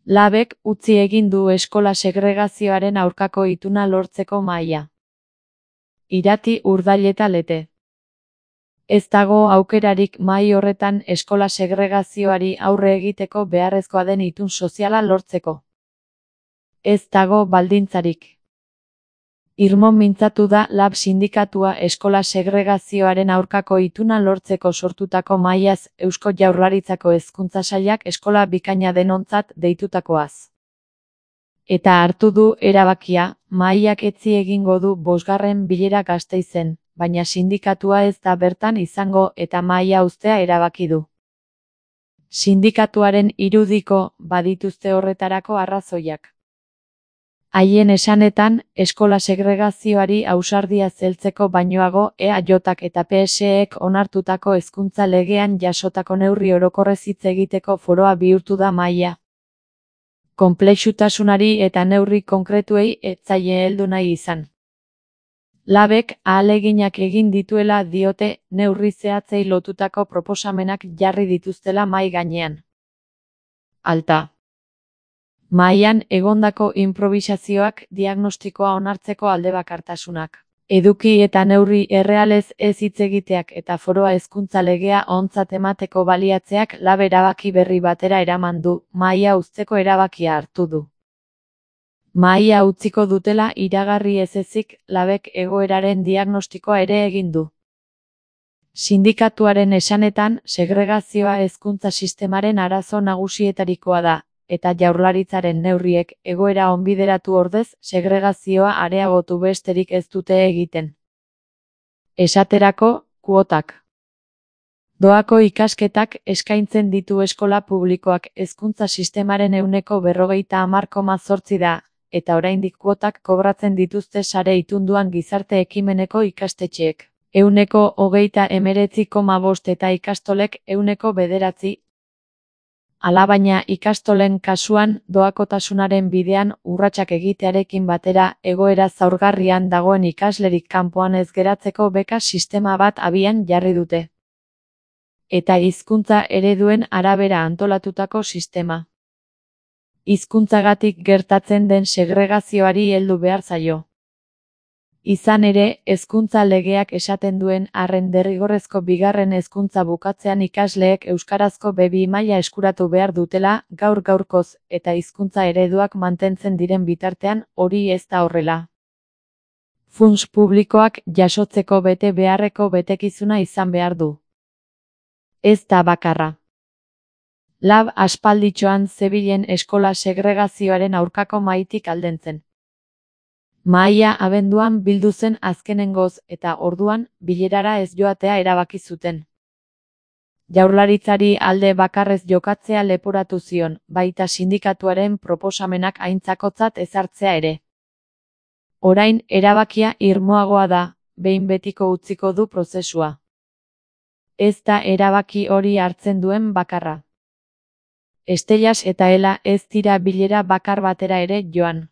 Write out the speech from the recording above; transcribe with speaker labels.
Speaker 1: Labek utzi egin du eskola segregazioaren aurkako ituna lortzeko mahaia. Irati, Urdail eta Lete. Ez dago aukerarik mahai horretan eskola segregazioari aurre egiteko beharrezkoa den itun soziala lortzeko. Ez dago baldintzarik. Irmo mintzatu da Lab sindikatua eskola segregazioaren aurkako ituna lortzeko sortutako mahaiaz Eusko Jaurlaritzako Hezkuntza Sailak eskola bikaina denontzat deitutakoaz. Eta hartu du erabakia, mahaiak etzi egingo du 5. bilera Gasteizen, baina sindikatua ez da bertan izango eta mahaia uztea erabaki du. Sindikatuaren irudiko badituzte horretarako arrazoiak. Haien esanetan, eskola segregazioari ausardia zeltzeko bainoago EAJak eta PSEek onartutako hezkuntza legean jasotako neurri orokorrez hitz egiteko foroa bihurtu da mahaia. Konplexutasunari eta neurri konkretuei ez zaie heldu nahi izan. Labek ahaleginak egin dituela diote, neurri zehatzei lotutako proposamenak jarri dituztela mahai gainean. Alta. Mahaian egondako inprobisazioak, diagnostikoa onartzeko aldebakartasunak, eduki eta neurri errealez ez hitz egiteak eta foroa hezkuntza legea ontzat emateko baliatzeak Lab erabaki berri batera eraman du, mahaia uzteko erabakia hartu du. Mahaia utziko dutela iragarri ez ezik, Labek egoeraren diagnostikoa ere egin du. Sindikatuaren esanetan, segregazioa hezkuntza sistemaren arazo nagusietarikoa da, eta Jaurlaritzaren neurriek egoera onbideratu ordez segregazioa areagotu besterik ez dute egiten. Esaterako, kuotak. Doako ikasketak eskaintzen ditu eskola publikoak hezkuntza sistemaren 50,8% da, eta oraindik kuotak kobratzen dituzte sare itunduan gizarte ekimeneko ikastetxeek. 39,5% eta ikastolek 9%. Alabaina ikastolen kasuan, doakotasunaren bidean urratsak egitearekin batera egoera zaurgarrian dagoen ikaslerik kanpoan ez geratzeko beka sistema bat abian jarri dute. Eta hizkuntza ereduen arabera antolatutako sistema. Hizkuntzagatik gertatzen den segregazioari heldu behar zaio. Izan ere, hezkuntza legeak esaten duen arren derrigorrezko 2. hezkuntza bukatzean ikasleek euskarazko B2 maila eskuratu behar dutela, gaur-gaurkoz, eta hizkuntza ereduak mantentzen diren bitartean, hori ez da horrela. Funts publikoak jasotzeko bete beharreko betekizuna izan behar du. Ez da bakarra. Lab aspalditxoan zebilen eskola segregazioaren aurkako mahaitik aldentzen. Mahaia abenduan bildu zen azkenengoz eta orduan bilerara ez joatea erabaki zuten. Jaurlaritzari alde bakarrez jokatzea leporatu zion, baita sindikatuaren proposamenak aintzakotzat ezartzea ere. Orain erabakia irmoagoa da, behin betiko utziko du prozesua. Ez da erabaki hori hartzen duen bakarra. Estellas eta Ela ez dira bilera bakar batera ere joan.